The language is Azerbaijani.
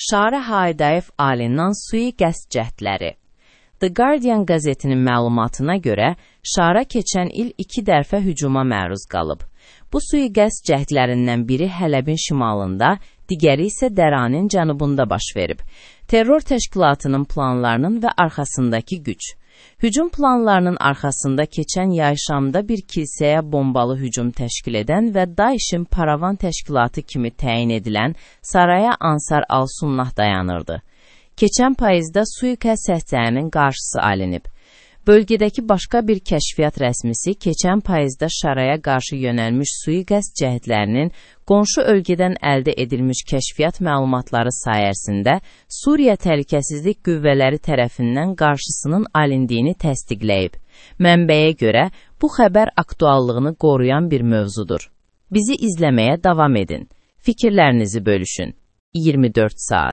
Şarə Haydayev alindən sui-qəsd cəhdləri. The Guardian qəzetinin məlumatına görə, Şara keçən il 2 dəfə hücuma məruz qalıb. Bu sui-qəsd cəhdlərindən biri Hələbin şimalında, digəri isə Dəranin cənubunda baş verib. Terror təşkilatının planlarının və arxasındakı güc. Hücum planlarının arxasında keçən yay Şamda bir kilsəyə bombalı hücum təşkil edən və Daişin paravan təşkilatı kimi təyin edilən Saraya Ansar al-Sunnah dayanırdı. Keçən payızda sui-qəsd cəhdlərinin qarşısı alınıb. Bölgədəki başqa bir kəşfiyyat rəsmisi keçən payızda Şaraya qarşı yönəlmiş sui-qəsd cəhdlərinin qonşu ölkədən əldə edilmiş kəşfiyyat məlumatları sayəsində Suriya Təhlükəsizlik Qüvvələri tərəfindən qarşısının alındığını təsdiqləyib. Mənbəyə görə bu xəbər aktuallığını qoruyan bir mövzudur. Bizi izləməyə davam edin. Fikirlərinizi bölüşün. 24 saat.